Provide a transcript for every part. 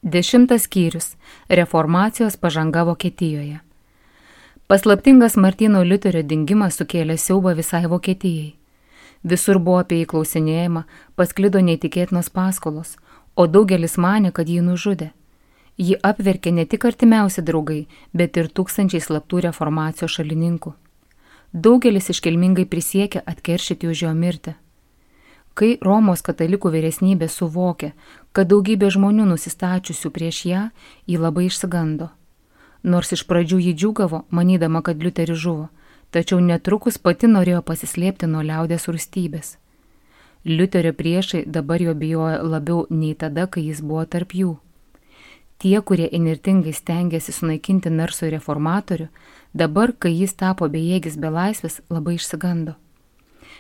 10 skyrius. Reformacijos pažanga Vokietijoje. Paslaptingas Martyno Liuterio dingimas sukėlė siaubą visai Vokietijai. Visur buvo apie jį klausinėjama, pasklido neįtikėtinos paskolos, o daugelis manė, kad jį nužudė. Jį apverkė ne tik artimiausi draugai, bet ir tūkstančiai slaptų reformacijos šalininkų. Daugelis iškilmingai prisiekė atkeršyti už jo mirtį. Kai Romos katalikų vyresnybė suvokė, kad daugybė žmonių nusistačiusių prieš ją, ji labai išsigando. Nors iš pradžių ji džiūgavo, manydama, kad Liuteris žuvo, tačiau netrukus pati norėjo pasislėpti nuo liaudės rūstybės. Liuterio priešai dabar jo bijojo labiau nei tada, kai jis buvo tarp jų. Tie, kurie įnirtingai stengiasi sunaikinti narsų reformatorių, dabar, kai jis tapo bejėgis belaisvis, labai išsigando.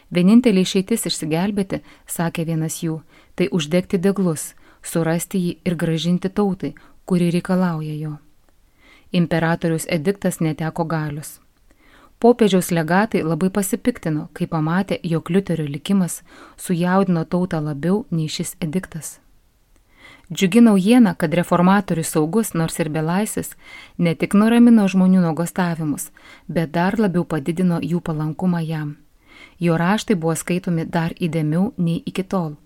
Vienintelė išeitis išsigelbėti, sakė vienas jų, tai uždegti deglus, surasti jį ir grąžinti tautai, kuri reikalauja jo. Imperatoriaus ediktas neteko galios. Popiežiaus legatai labai pasipiktino, kai pamatė, jog Liuterio likimas sujaudino tautą labiau nei šis ediktas. Džiugi naujiena, kad reformatorius saugus, nors ir belaisvis, ne tik nuramino žmonių nuogąstavimus, bet dar labiau padidino jų palankumą jam. Jo raštai buvo skaitomi dar įdėmiau nei iki tol.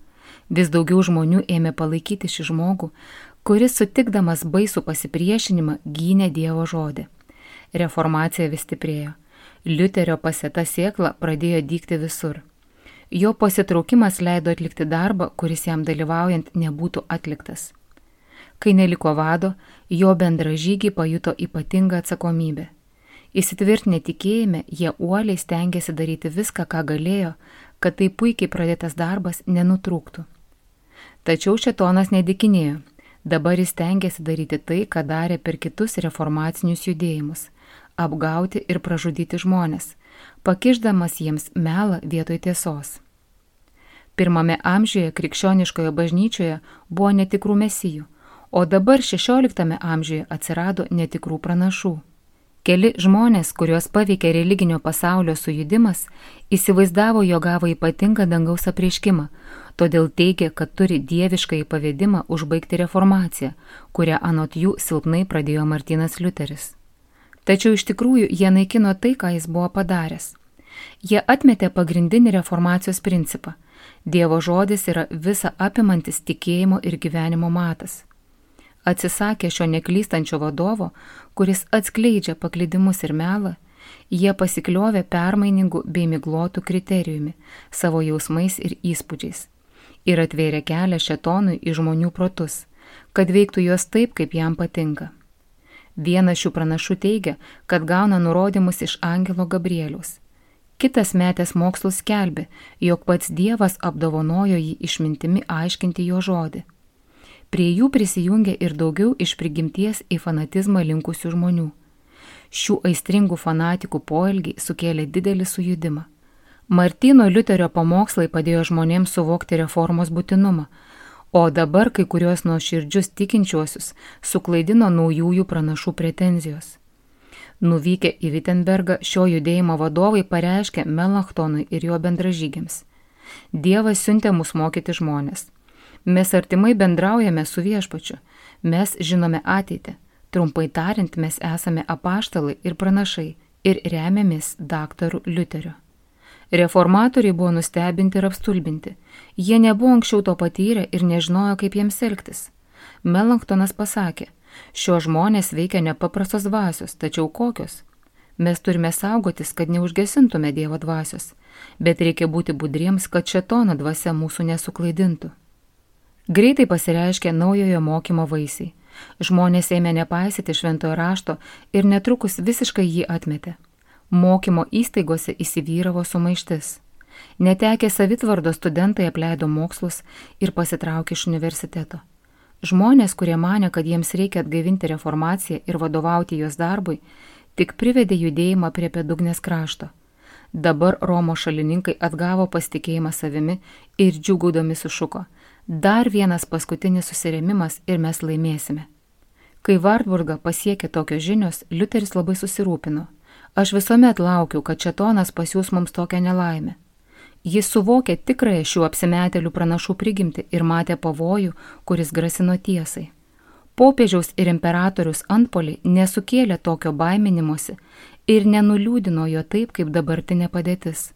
Vis daugiau žmonių ėmė palaikyti šį žmogų, kuris sutikdamas baisų pasipriešinimą gynė Dievo žodį. Reformacija vis stiprėjo. Liuterio pasėta sėkla pradėjo dygti visur. Jo pasitraukimas leido atlikti darbą, kuris jam dalyvaujant nebūtų atliktas. Kai neliko vado, jo bendražygiai pajuto ypatingą atsakomybę. Įsitvirtinę tikėjime, jie uoliai stengiasi daryti viską, ką galėjo, kad tai puikiai pradėtas darbas nenutrūktų. Tačiau šėtonas nedikinėjo. Dabar jis stengiasi daryti tai, ką darė per kitus reformacinius judėjimus – apgauti ir pražudyti žmones, pakišdamas jiems melą vietoj tiesos. Pirmame amžiuje krikščioniškoje bažnyčioje buvo netikrų mesijų, o dabar 16 amžiuje atsirado netikrų pranašų. Keli žmonės, kuriuos paveikė religinio pasaulio sujudimas, įsivaizdavo, jog gavo ypatingą dangaus apreiškimą, todėl teigė, kad turi dieviškąjį pavedimą užbaigti reformaciją, kurią anot jų silpnai pradėjo Martynas Liuteris. Tačiau iš tikrųjų jie naikino tai, ką jis buvo padaręs. Jie atmetė pagrindinį reformacijos principą. Dievo žodis yra visa apimantis tikėjimo ir gyvenimo matas. Atsisakė šio neklystančio vadovo, kuris atskleidžia paklydimus ir melą, jie pasikliovė permainingų bei miglotų kriterijumi, savo jausmais ir įspūdžiais, ir atvėrė kelią šėtonui į žmonių protus, kad veiktų juos taip, kaip jam patinka. Vienas šių pranašų teigia, kad gauna nurodymus iš angelo Gabrieliaus. Kitas metęs mokslus skelbė, jog pats Dievas apdovanojo jį išmintimi aiškinti jo žodį. Prie jų prisijungė ir daugiau iš prigimties į fanatizmą linkusių žmonių. Šių aistringų fanatikų poelgiai sukėlė didelį sujudimą. Martyno Liuterio pamokslai padėjo žmonėms suvokti reformos būtinumą, o dabar kai kurios nuoširdžius tikinčiuosius suklaidino naujųjų pranašų pretenzijos. Nuvykę į Wittenbergą, šio judėjimo vadovai pareiškė Melanchthonui ir jo bendražygiams: Dievas siuntė mus mokyti žmonės. Mes artimai bendraujame su Viešpačiu, mes žinome ateitį. Trumpai tariant, mes esame apaštalai ir pranašai ir remiamės daktaru Liuteriu. Reformatoriai buvo nustebinti ir apstulbinti. Jie nebuvo anksčiau to patyrę ir nežinojo, kaip jiems elgtis. Melanchtonas pasakė: šio žmonės veikia nepaprastos dvasios, tačiau kokios? Mes turime saugotis, kad neužgesintume Dievo dvasios, bet reikia būti budriems, kad šėtono dvasia mūsų nesuklaidintų. Greitai pasireiškė naujojo mokymo vaisiai. Žmonės ėmė nepaisyti šventojo rašto ir netrukus visiškai jį atmetė. Mokymo įstaigose įsivyravo sumaištis. Netekę savitvardos studentai apleido mokslus ir pasitraukė iš universiteto. Žmonės, kurie manė, kad jiems reikia atgaivinti reformaciją ir vadovauti jos darbui, tik privedė judėjimą prie bedugnės krašto. Dabar Romos šalininkai atgavo pasitikėjimą savimi ir džiūgaudami sušuko: dar vienas paskutinis susirėmimas ir mes laimėsime. Kai Wartburgą pasiekė tokios žinios, Liuteris labai susirūpino. Aš visuomet laukiau, kad šėtonas pasiūs mums tokią nelaimę. Jis suvokė tikrąją šių apsimetėlių pranašų prigimtį ir matė pavojų, kuris grasino tiesai. Popiežiaus ir imperatorius antpoliai nesukėlė tokio baiminimosi ir nenuliūdino jo taip, kaip dabartinė padėtis.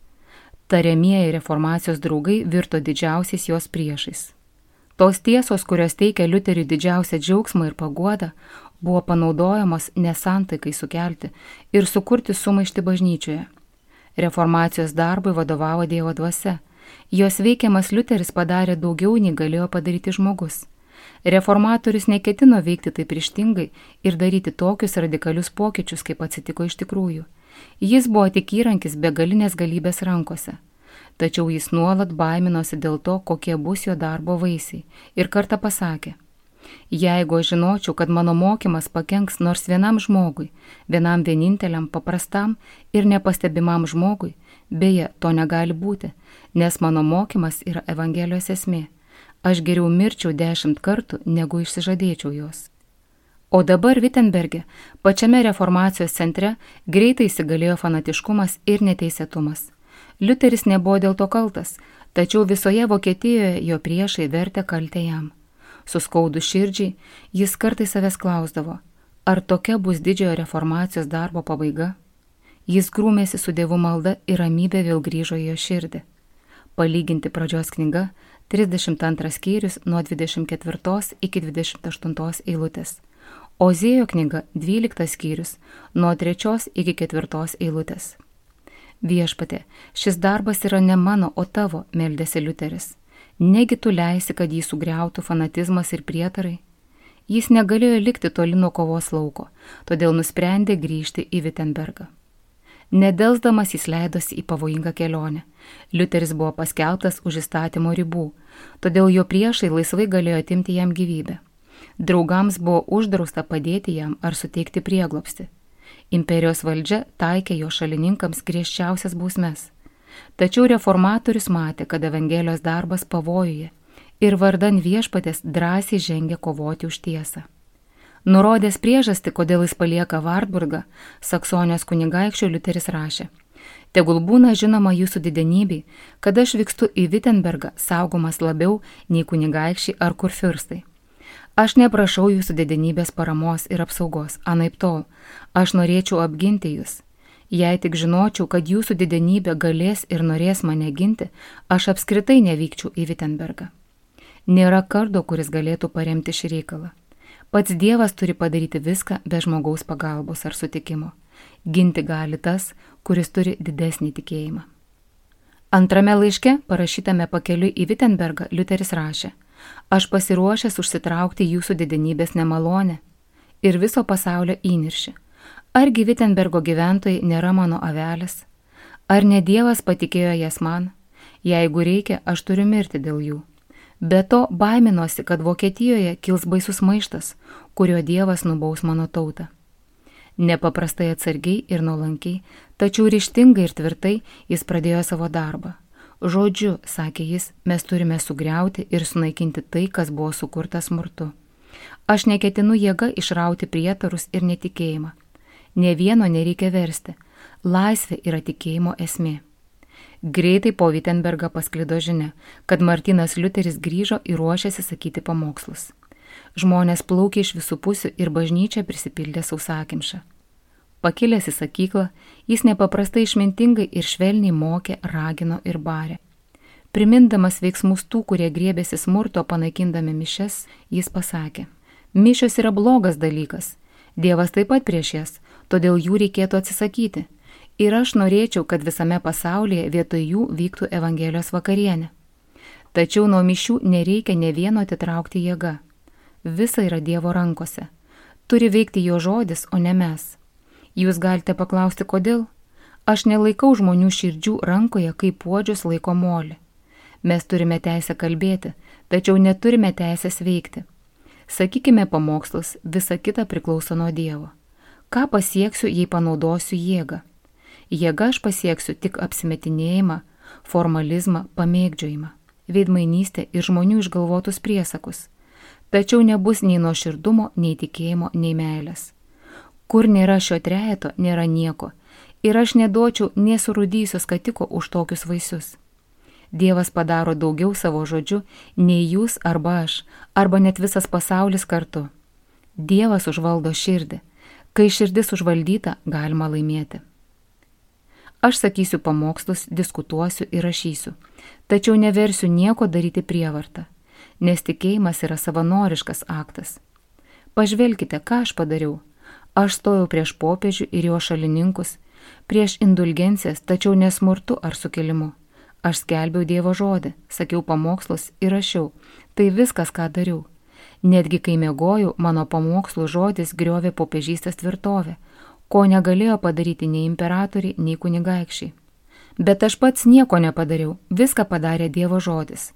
Tariamieji reformacijos draugai virto didžiausiais jos priešais. Tos tiesos, kurios teikia Liuteriui didžiausią džiaugsmą ir paguodą, buvo panaudojamos nesantaikai sukelti ir sukurti sumaištį bažnyčioje. Reformacijos darbui vadovavo Dievo dvasia. Jos veikiamas Liuteris padarė daugiau, nei galėjo padaryti žmogus. Reformatorius neketino veikti taip ryžtingai ir daryti tokius radikalius pokyčius, kaip atsitiko iš tikrųjų. Jis buvo tik įrankis begalinės galybės rankose. Tačiau jis nuolat baiminosi dėl to, kokie bus jo darbo vaisiai, ir kartą pasakė: jeigu aš žinočiau, kad mano mokymas pakenks nors vienam žmogui, vienam vieninteliam paprastam ir nepastebimam žmogui, beje, to negali būti, nes mano mokymas yra Evangelijos esmė. Aš geriau mirčiau 10 kartų, negu išsižadėčiau jos. O dabar Wittenberge, pačiame reformacijos centre, greitai įsigalėjo fanatiškumas ir neteisėtumas. Liuteris nebuvo dėl to kaltas, tačiau visoje Vokietijoje jo priešai vertė kaltę jam. Suskaudus širdžiai, jis kartais savęs klausdavo, ar tokia bus didžiojo reformacijos darbo pabaiga. Jis grūmėsi su Dievu malda ir ramybė vėl grįžo į jo širdį. Palyginti pradžios knyga, 32 skyrius nuo 24 iki 28 eilutės. Ozėjo knyga, 12 skyrius nuo 3 iki 4 eilutės. Viešpatie, šis darbas yra ne mano, o tavo, meldėsi Liuteris. Negi tu leisi, kad jį sugriautų fanatizmas ir prietarai? Jis negalėjo likti toli nuo kovos lauko, todėl nusprendė grįžti į Wittenbergą. Nedelsdamas jis leidosi į pavojingą kelionę. Liuteris buvo paskelbtas už įstatymo ribų, todėl jo priešai laisvai galėjo atimti jam gyvybę. Draugams buvo uždrausta padėti jam ar suteikti prieglobstį. Imperijos valdžia taikė jo šalininkams griežčiausias bausmes. Tačiau reformatorius matė, kad Evangelijos darbas pavojuje ir vardan Viešpatės drąsiai žengė kovoti už tiesą. Nurodęs priežastį, kodėl jis palieka Wartburgą, Saksonijos kunigaikščio Liuteris rašė: tegul būna žinoma jūsų didenybei, kad aš vykstu į Wittenbergą saugomas labiau nei kunigaikščiai ar kurfiurstai. Aš neprašau jūsų didenybės paramos ir apsaugos, anaip tol, aš norėčiau apginti jūs. Jei tik žinočiau, kad jūsų didenybė galės ir norės mane ginti, aš apskritai nevykčiau į Wittenbergą. Nėra kardo, kuris galėtų paremti šį reikalą. Pats Dievas turi padaryti viską be žmogaus pagalbos ar sutikimo. Ginti gali tas, kuris turi didesnį tikėjimą. Antrame laiške, parašytame pakeliui į Wittenbergą, Liuteris rašė: aš pasiruošęs užsitraukti jūsų didenybės nemalonę ir viso pasaulio įniršį. Argi Wittenbergo gyventojai nėra mano avelės? Ar ne Dievas patikėjo jas man? Jeigu reikia, aš turiu mirti dėl jų. Be to baiminosi, kad Vokietijoje kils baisus maištas, kurio Dievas nubaus mano tautą. Nepaprastai atsargiai ir nuolankiai, tačiau ryžtingai ir tvirtai jis pradėjo savo darbą. Žodžiu, sakė jis, mes turime sugriauti ir sunaikinti tai, kas buvo sukurta smurtu. Aš neketinu jėga išrauti prietarus ir netikėjimą. Nė vieno nereikia versti. Laisvė yra tikėjimo esmė. Greitai po Wittenbergą pasklido žinia, kad Martynas Liuteris grįžo ir ruošėsi sakyti pamokslus. Žmonės plaukė iš visų pusių ir bažnyčia prisipildė sausakimšą. Pakilęs į sakyklą, jis nepaprastai išmintingai ir švelniai mokė, ragino ir barė. Primindamas veiksmus tų, kurie griebėsi smurto panaikindami mišias, jis pasakė: mišios yra blogas dalykas. Dievas taip pat prieš jas, todėl jų reikėtų atsisakyti. Ir aš norėčiau, kad visame pasaulyje vietoj jų vyktų Evangelijos vakarienė. Tačiau nuo mišių nereikia nė vieno atitraukti jėga. Visa yra Dievo rankose. Turi veikti jo žodis, o ne mes. Jūs galite paklausti, kodėl? Aš nelaikau žmonių širdžių rankoje, kaip puodžius laiko molį. Mes turime teisę kalbėti, tačiau neturime teisės veikti. Sakykime pamokslus, visa kita priklauso nuo Dievo. Ką pasieksiu, jei panaudosiu jėgą? Jėga aš pasieksiu tik apsimetinėjimą, formalizmą, pamėgdžiojimą, veidmainystę ir žmonių išgalvotus priesakus. Tačiau nebus nei nuoširdumo, nei tikėjimo, nei meilės. Kur nėra šio trejeto, nėra nieko, ir aš neduočiau nė surūdysios skatiko už tokius vaisius. Dievas padaro daugiau savo žodžiu, nei jūs arba aš, arba net visas pasaulis kartu. Dievas užvaldo širdį. Kai širdis užvaldyta, galima laimėti. Aš sakysiu pamokslus, diskutuosiu ir rašysiu, tačiau neversiu nieko daryti prievartą, nes tikėjimas yra savanoriškas aktas. Pažvelkite, ką aš padariau. Aš stojau prieš popiežių ir jo šalininkus, prieš indulgencijas, tačiau nesmurtu ar sukilimu. Aš skelbiau Dievo žodį, sakiau pamokslus ir rašiau. Tai viskas, ką dariau. Netgi kai miegojau, mano pamokslų žodis griovė popiežystės tvirtovę, ko negalėjo padaryti nei imperatoriai, nei kunigaikščiai. Bet aš pats nieko nepadariau, viską padarė Dievo žodis.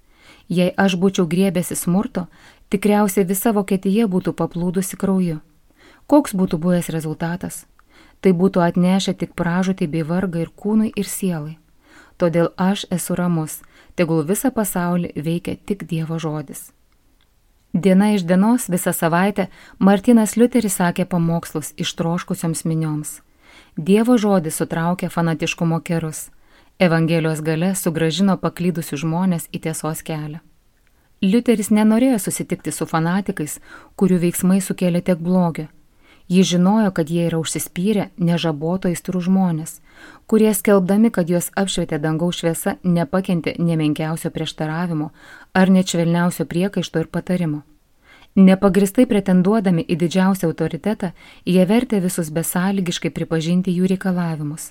Jei aš būčiau griebęsi smurto, tikriausiai visa Vokietija būtų paplūdusi krauju. Koks būtų buvęs rezultatas? Tai būtų atnešę tik pražūtį bei vargą ir kūnui, ir sielai. Todėl aš esu ramus, tegul visą pasaulį veikia tik Dievo žodis. Diena iš dienos visą savaitę Martynas Liuteris sakė pamokslus ištroškusioms minioms. Dievo žodis sutraukė fanatiškumo kerus. Evangelijos gale sugrąžino paklydusius žmonės į tiesos kelią. Liuteris nenorėjo susitikti su fanatikais, kurių veiksmai sukėlė tiek blogio. Jis žinojo, kad jie yra užsispyrę, nežaboto aistrų žmonės, kurie skelbdami, kad juos apšvietė dangaus šviesa, nepakentė nemenkiausio prieštaravimo ar net švelniausio priekaišto ir patarimo. Nepagristai pretenduodami į didžiausią autoritetą, jie vertė visus besąlygiškai pripažinti jų reikalavimus.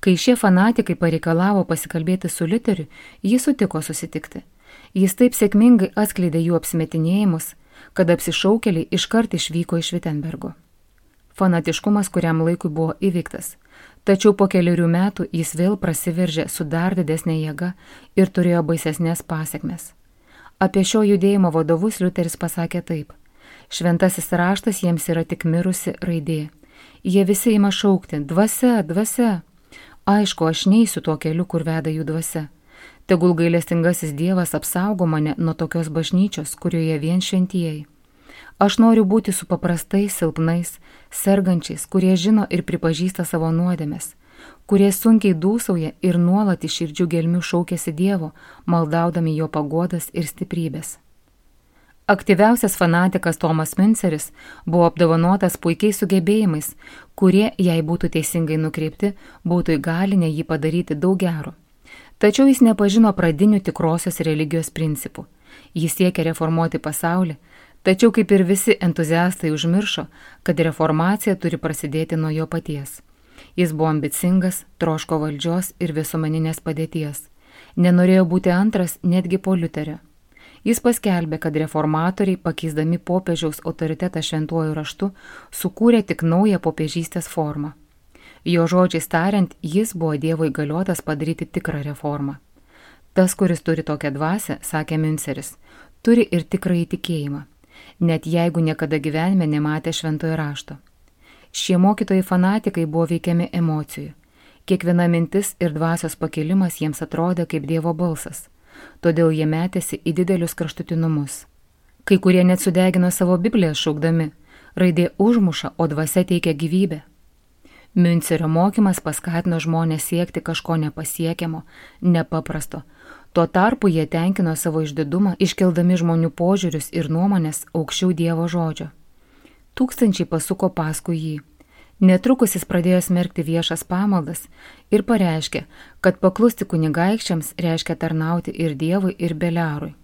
Kai šie fanatikai pareikalavo pasikalbėti su Liuteriu, jis sutiko susitikti. Jis taip sėkmingai atskleidė jų apsimetinėjimus, kad apsišaukėliai iškart išvyko iš Vitenbergo. Fanatiškumas kuriam laikui buvo įveiktas, tačiau po keliarių metų jis vėl prasiveržė su dar didesnė jėga ir turėjo baisesnės pasekmes. Apie šio judėjimo vadovus Liuteris pasakė taip: šventasis raštas jiems yra tik mirusi raidė. Jie visi ima šaukti: dvasia, dvasia. Aišku, aš neisiu tuo keliu, kur veda jų dvasia. Tegul gailestingasis Dievas apsaugo mane nuo tokios bažnyčios, kurioje vien šventieji. Aš noriu būti su paprastais, silpnais, sergančiais, kurie žino ir pripažįsta savo nuodėmes, kurie sunkiai dūsauja ir nuolat iš širdžių gelmių šaukiasi Dievo, maldaudami jo paguodas ir stiprybės. Aktyviausias fanatikas Tomas Münceris buvo apdovanotas puikiais sugebėjimais, kurie, jei būtų teisingai nukreipti, būtų įgalinę jį padaryti daug gero. Tačiau jis nepažino pradinių tikrosios religijos principų. Jis siekė reformuoti pasaulį, tačiau kaip ir visi entuziastai užmiršo, kad reformacija turi prasidėti nuo jo paties. Jis buvo ambicingas, troško valdžios ir visuomeninės padėties. Nenorėjo būti antras netgi po Liuterio. Jis paskelbė, kad reformatoriai, pakeisdami popiežiaus autoritetą šventuoju raštu, sukūrė tik naują popiežystės formą. Jo žodžiais tariant, jis buvo Dievo įgaliotas padaryti tikrą reformą. Tas, kuris turi tokią dvasią, sakė Münceris, turi ir tikrąjį tikėjimą, net jeigu niekada gyvenime nematė šventojo rašto. Šie mokytojai fanatikai buvo veikiami emocijų. Kiekviena mintis ir dvasios pakilimas jiems atrodė kaip Dievo balsas, todėl jie metėsi į didelius kraštutinumus. Kai kurie net sudegino savo Bibliją šaukdami: raidė užmuša, o dvasia teikia gyvybę. Müncerio mokymas paskatino žmonės siekti kažko nepasiekiamo, nepaprasto. Tuo tarpu jie tenkino savo išdidumą, iškeldami žmonių požiūrius ir nuomonės aukščiau Dievo žodžio. Tūkstančiai pasuko paskui jį. Netrukus jis pradėjo smerkti viešas pamaldas ir pareiškė, kad paklusti kunigaikščiams reiškia tarnauti ir Dievui, ir Beliarui.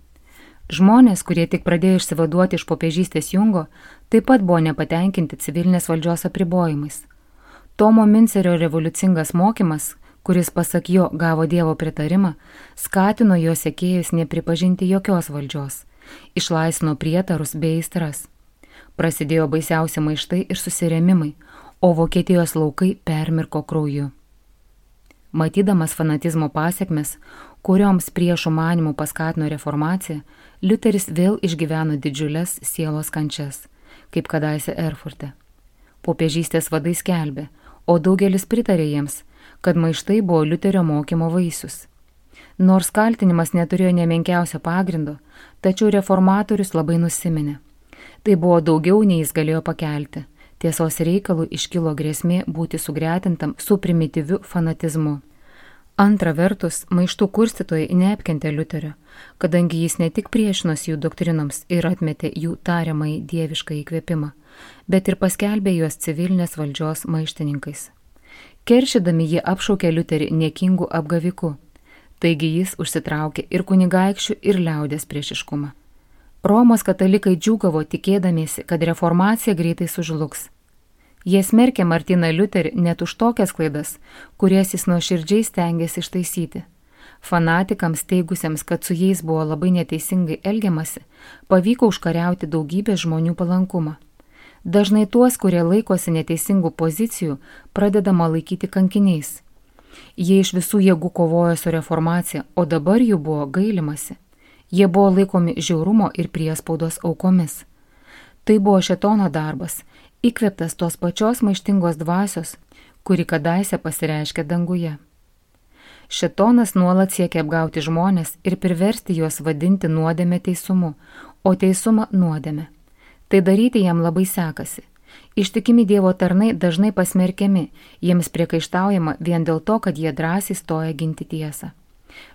Žmonės, kurie tik pradėjo išsivaduoti iš popiežystės jungo, taip pat buvo nepatenkinti civilinės valdžios apribojimais. Tomo Müncerio revoliucingas mokymas, kuris pasak jo gavo Dievo pritarimą, skatino jo sekėjus nepripažinti jokios valdžios, išlaisvino prietarus bei aistras. Prasidėjo baisiausi maištai ir susirėmimai, o Vokietijos laukai permirko krauju. Matydamas fanatizmo pasekmes, kurioms priešų manimų paskatino reformacija, Liuteris vėl išgyveno didžiulės sielos kančias, kaip kadaise Erfurte. Popiežystės vadai skelbė, o daugelis pritarė jiems, kad maištai buvo Liuterio mokymo vaisius. Nors kaltinimas neturėjo nemenkiausio pagrindo, tačiau reformatorius labai nusiminė. Tai buvo daugiau, nei jis galėjo pakelti. Tiesos reikalų iškilo grėsmė būti sugretintam su primityviu fanatizmu. Antra vertus, maištų kurstytojai neapkentė Liuterio, kadangi jis ne tik priešinosi jų doktrinoms ir atmetė jų tariamai dievišką įkvėpimą, bet ir paskelbė juos civilinės valdžios maištininkais. Keršydami jie apšaukė Liuterį niekingų apgavikų, taigi jis užsitraukė ir kunigaikščių, ir liaudės priešiškumą. Romos katalikai džiūgavo tikėdamiesi, kad reformacija greitai sužlugs. Jie smerkė Martyną Liuterį net už tokias klaidas, kurias jis nuoširdžiai stengėsi ištaisyti. Fanatikams teigusiems, kad su jais buvo labai neteisingai elgiamasi, pavyko užkariauti daugybę žmonių palankumą. Dažnai tuos, kurie laikosi neteisingų pozicijų, pradedama laikyti kankiniais. Jie iš visų jėgų kovojo su reformacija, o dabar jų buvo gailimasi. Jie buvo laikomi žiaurumo ir priespaudos aukomis. Tai buvo šėtono darbas, įkvėptas tos pačios maištingos dvasios, kuri kadaise pasireiškė danguje. Šėtonas nuolat siekia apgauti žmonės ir priversti juos vadinti nuodėmę teisumu, o teisumą nuodėmę. Tai daryti jam labai sekasi. Ištikimi Dievo tarnai dažnai pasmerkiami, jiems priekaištaujama vien dėl to, kad jie drąsiai stoja ginti tiesą.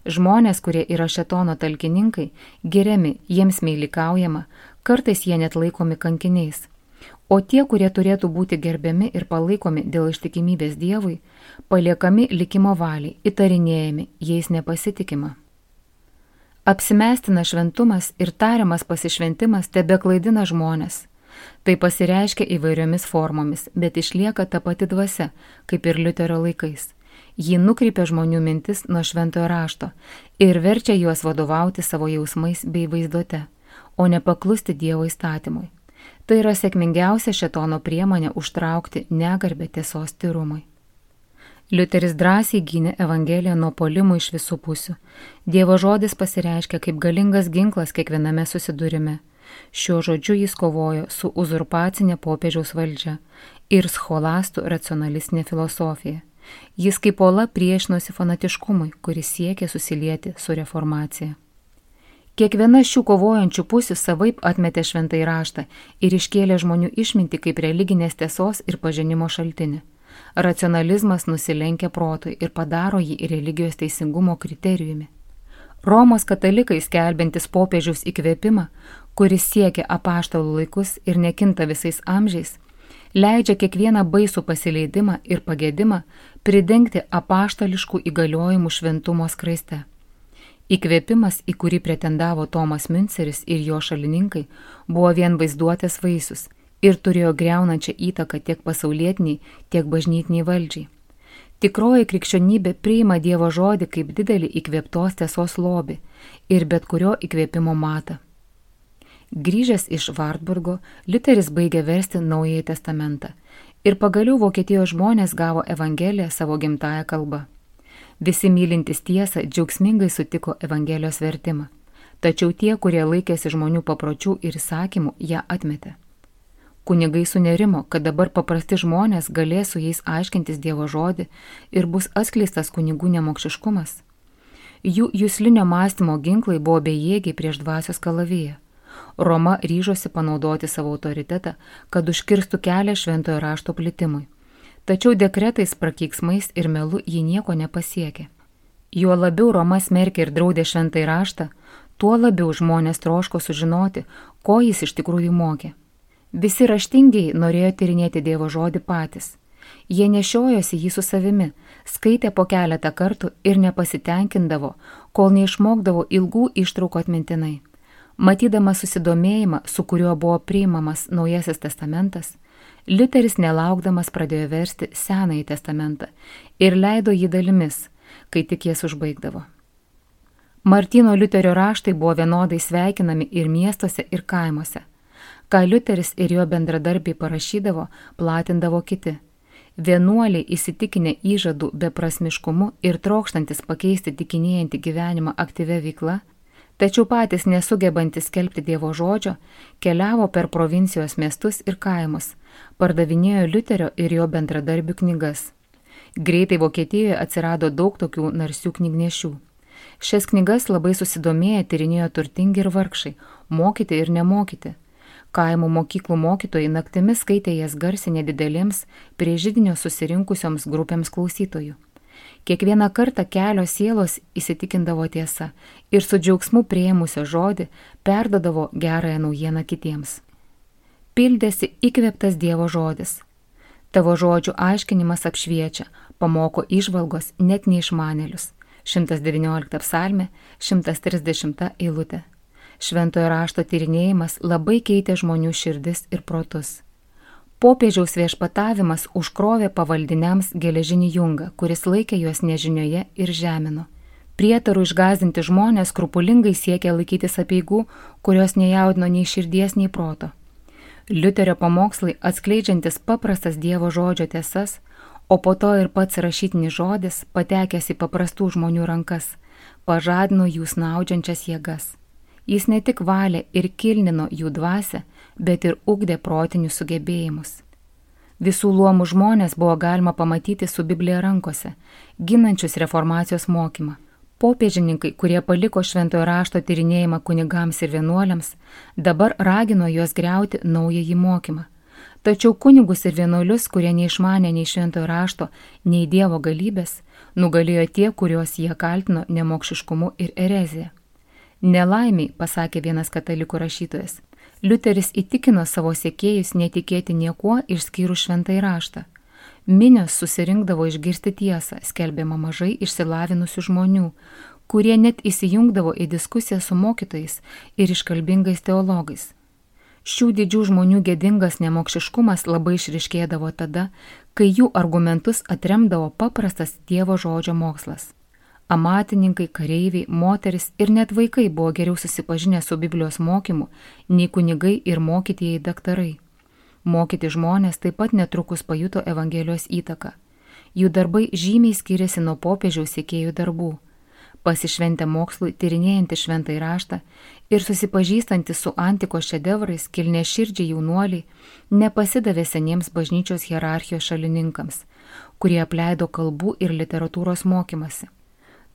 Žmonės, kurie yra šėtono talkininkai, giriami, jiems meilikaujama, kartais jie net laikomi kankiniais. O tie, kurie turėtų būti gerbiami ir palaikomi dėl ištikimybės Dievui, paliekami likimo valiai, įtarinėjami, jais nepasitikima. Apsimestina šventumas ir tariamas pasišventimas tebeklaidina žmonės. Tai pasireiškia įvairiomis formomis, bet išlieka ta pati dvasia, kaip ir Liuterio laikais. Ji nukreipia žmonių mintis nuo šventojo rašto ir verčia juos vadovauti savo jausmais bei vaizduote, o ne paklusti Dievo įstatymui. Tai yra sėkmingiausia šėtono priemonė užtraukti negarbę tiesos tyrumui. Liuteris drąsiai gynė Evangeliją nuo puolimų iš visų pusių. Dievo žodis pasireiškia kaip galingas ginklas kiekviename susidūrime. Šiuo žodžiu jis kovojo su uzurpacinė popiežiaus valdžia ir scholastų racionalistinė filosofija. Jis kaip uola priešinosi fanatiškumui, kuris siekė susilieti su reformacija. Kiekviena šių kovojančių pusių savaip atmetė šventąjį raštą ir iškėlė žmonių išmintį kaip religinės tiesos ir pažinimo šaltinį. Racionalizmas nusilenkia protui ir padaro jį religijos teisingumo kriterijumi. Romos katalikai skelbiantis popiežiaus įkvėpimą, kuris siekia apaštalų laikus ir nekinta visais amžiais, leidžia kiekvieną baisų pasileidimą ir pagėdimą pridengti apaštališkų įgaliojimų šventumo skraiste. Įkvėpimas, į kurį pretendavo Tomas Münceris ir jo šalininkai, buvo vien vaizduotės vaisius ir turėjo griaunančią įtaką tiek pasaulietiniai, tiek bažnytiniai valdžiai. Tikroji krikščionybė priima Dievo žodį kaip didelį įkvėptos tiesos lobį ir bet kurio įkvėpimo matą. Grįžęs iš Vartburgo, Liuteris baigė versti Naująjį testamentą ir pagaliau Vokietijos žmonės gavo Evangeliją savo gimtąją kalbą. Visi mylintys tiesą džiaugsmingai sutiko Evangelijos vertimą, tačiau tie, kurie laikėsi žmonių papročių ir įsakymų, ją atmetė. Kunigai sunerimo, kad dabar paprasti žmonės galės su jais aiškintis Dievo žodį ir bus atskleistas kunigų nemokšiškumas. Jų juslinio mąstymo ginklai buvo bejėgiai prieš dvasios kalaviją. Roma ryžosi panaudoti savo autoritetą, kad užkirstų kelią šventojo rašto plitimui. Tačiau dekretais, prakeiksmais ir melu ji nieko nepasiekė. Juo labiau Roma smerkė ir draudė šventąjį raštą, tuo labiau žmonės troško sužinoti, ko jis iš tikrųjų mokė. Visi raštingiai norėjo tyrinėti Dievo žodį patys. Jie nešiojosi jį su savimi, skaitė po keletą kartų ir nepasitenkindavo, kol neišmokdavo ilgų ištraukų atmintinai. Matydamas susidomėjimą, su kuriuo buvo priimamas Naujasis testamentas, Liuteris nelaukdamas pradėjo versti Senąjį testamentą ir leido jį dalimis, kai tik jas užbaigdavo. Martyno Liuterio raštai buvo vienodai sveikinami ir miestuose, ir kaimuose. Ką Liuteris ir jo bendradarbiai parašydavo, platindavo kiti. Vienuoliai įsitikinę įžadų beprasmiškumu ir trokštantis pakeisti tikinėjantį gyvenimą aktyvia veikla, tačiau patys nesugebantis skelbti Dievo žodžio, keliavo per provincijos miestus ir kaimus, pardavinėjo Liuterio ir jo bendradarbių knygas. Greitai Vokietijoje atsirado daug tokių narsių knygnešių. Šias knygas labai susidomėję tyrinėjo turtingi ir vargšai, mokyti ir nemokyti. Kaimų mokyklų mokytojai naktimis skaitė jas garsiai nedidelėms prie židinio susirinkusioms grupėms klausytojų. Kiekvieną kartą kelios sielos įsitikindavo tiesa ir su džiaugsmu priėmusio žodį perdodavo gerąją naujieną kitiems. Pildėsi įkvėptas Dievo žodis. Tavo žodžių aiškinimas apšviečia, pamoko įžvalgos net neišmanėlius. 119 psalmė, 130 eilutė. Šventojo rašto tyrinėjimas labai keitė žmonių širdis ir protus. Popiežiaus viešpatavimas užkrovė pavaldiniams geležinį jungą, kuris laikė juos nežinioje ir žemino. Prietarų išgąsdinti žmonės skrupulingai siekė laikytis apeigų, kurios nejaudino nei širdies, nei proto. Liuterio pamokslai atskleidžiantis paprastas Dievo žodžio tiesas, o po to ir pats rašytinis žodis, patekęs į paprastų žmonių rankas, pažadino jų snaudžiančias jėgas. Jis ne tik valė ir kilnino jų dvasią, bet ir ugdė protinius sugebėjimus. Visų luomų žmonės buvo galima pamatyti su Biblija rankose, ginančius reformacijos mokymą. Popiežininkai, kurie paliko šventojo rašto tyrinėjimą kunigams ir vienuoliams, dabar ragino juos griauti naująjį mokymą. Tačiau kunigus ir vienuolius, kurie neišmanė nei šventojo rašto, nei Dievo galybės, nugalėjo tie, kuriuos jie kaltino nemokšiškumu ir erezija. Nelaimiai, pasakė vienas katalikų rašytojas, Liuteris įtikino savo sekėjus netikėti niekuo išskyrus šventąjį raštą. Minios susirinkdavo išgirsti tiesą, skelbiama mažai išsilavinusių žmonių, kurie net įsijungdavo į diskusiją su mokytojais ir iškalbingais teologais. Šių didžių žmonių gėdingas nemokšiškumas labai išryškėdavo tada, kai jų argumentus atremdavo paprastas Dievo žodžio mokslas. Amatininkai, kareiviai, moteris ir net vaikai buvo geriau susipažinę su Biblijos mokymu nei kunigai ir mokytieji daktarai. Mokyti žmonės taip pat netrukus pajuto Evangelijos įtaką. Jų darbai žymiai skiriasi nuo popiežiaus sekėjų darbų. Pasišventę mokslui, tyrinėjantį šventąjį raštą ir susipažįstantį su antikos šedevrais, kilniaširdžiai jaunuoliai nepasidavė seniems bažnyčios hierarchijos šalininkams, kurie apleido kalbų ir literatūros mokymasi.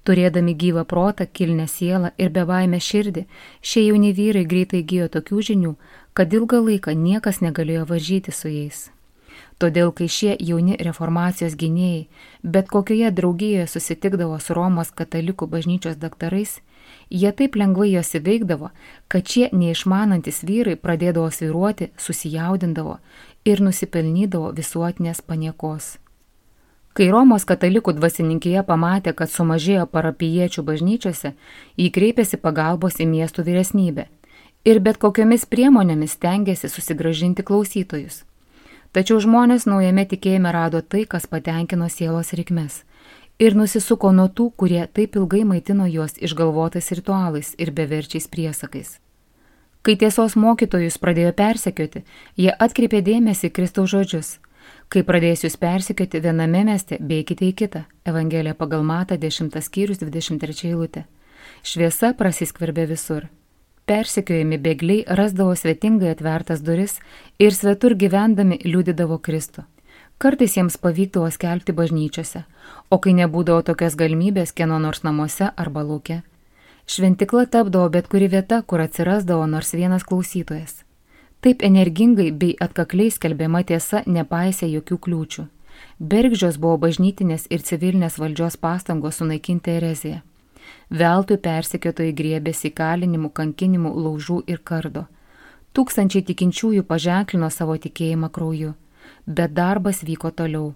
Turėdami gyvą protą, kilnią sielą ir bebaimę širdį, šie jauni vyrai greitai įgijo tokių žinių, kad ilgą laiką niekas negalėjo varžyti su jais. Todėl, kai šie jauni reformacijos gynėjai bet kokioje draugijoje susitikdavo su Romos katalikų bažnyčios daktarais, jie taip lengvai juos įveikdavo, kad šie neišmanantis vyrai pradėdavo svyruoti, susijaudindavo ir nusipelnydavo visuotinės paniekos. Kai Romos katalikų dvasininkija pamatė, kad sumažėjo parapijiečių bažnyčiose, jį kreipėsi pagalbos į miestų vyresnybę ir bet kokiomis priemonėmis stengėsi susigrąžinti klausytojus. Tačiau žmonės naujame tikėjime rado tai, kas patenkino sielos reikmes ir nusisuko nuo tų, kurie taip ilgai maitino juos išgalvotais ritualais ir beverčiais priesakais. Kai tiesos mokytojus pradėjo persekioti, jie atkreipė dėmesį į Kristaus žodžius. Kai pradės jūs persekioti viename mieste, bėkite į kitą. Evangelija pagal Matą 10 skyrius 23 eilutė. Šviesa prasiskverbė visur. Persekiojami bėgliai rasdavo svetingai atvertas duris ir svetur gyvendami liudydavo Kristų. Kartais jiems pavykdavo skelbti bažnyčiose, o kai nebūdavo tokios galimybės kieno nors namuose arba lauke. Šventikla tapdavo bet kuri vieta, kur atsirasdavo nors vienas klausytojas. Taip energingai bei atkakliai skelbiama tiesa nepaisė jokių kliūčių. Bergždžios buvo bažnytinės ir civilinės valdžios pastangos sunaikinti ereziją. Veltui persekiotojai griebėsi įkalinimų, kankinimų, laužų ir kardo. Tūkstančiai tikinčiųjų paženklino savo tikėjimą krauju, bet darbas vyko toliau.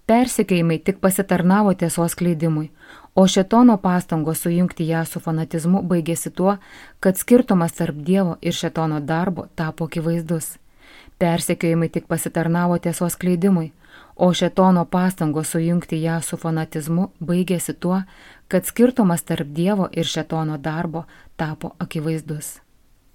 Persekiojimai tik pasitarnavo tiesos skleidimui, o šėtono pastangos sujungti ją su fanatizmu baigėsi tuo, kad skirtumas tarp Dievo ir šėtono darbo tapo akivaizdus. Persekiojimai tik pasitarnavo tiesos skleidimui, o šėtono pastangos sujungti ją su fanatizmu baigėsi tuo, kad skirtumas tarp Dievo ir šėtono darbo tapo akivaizdus.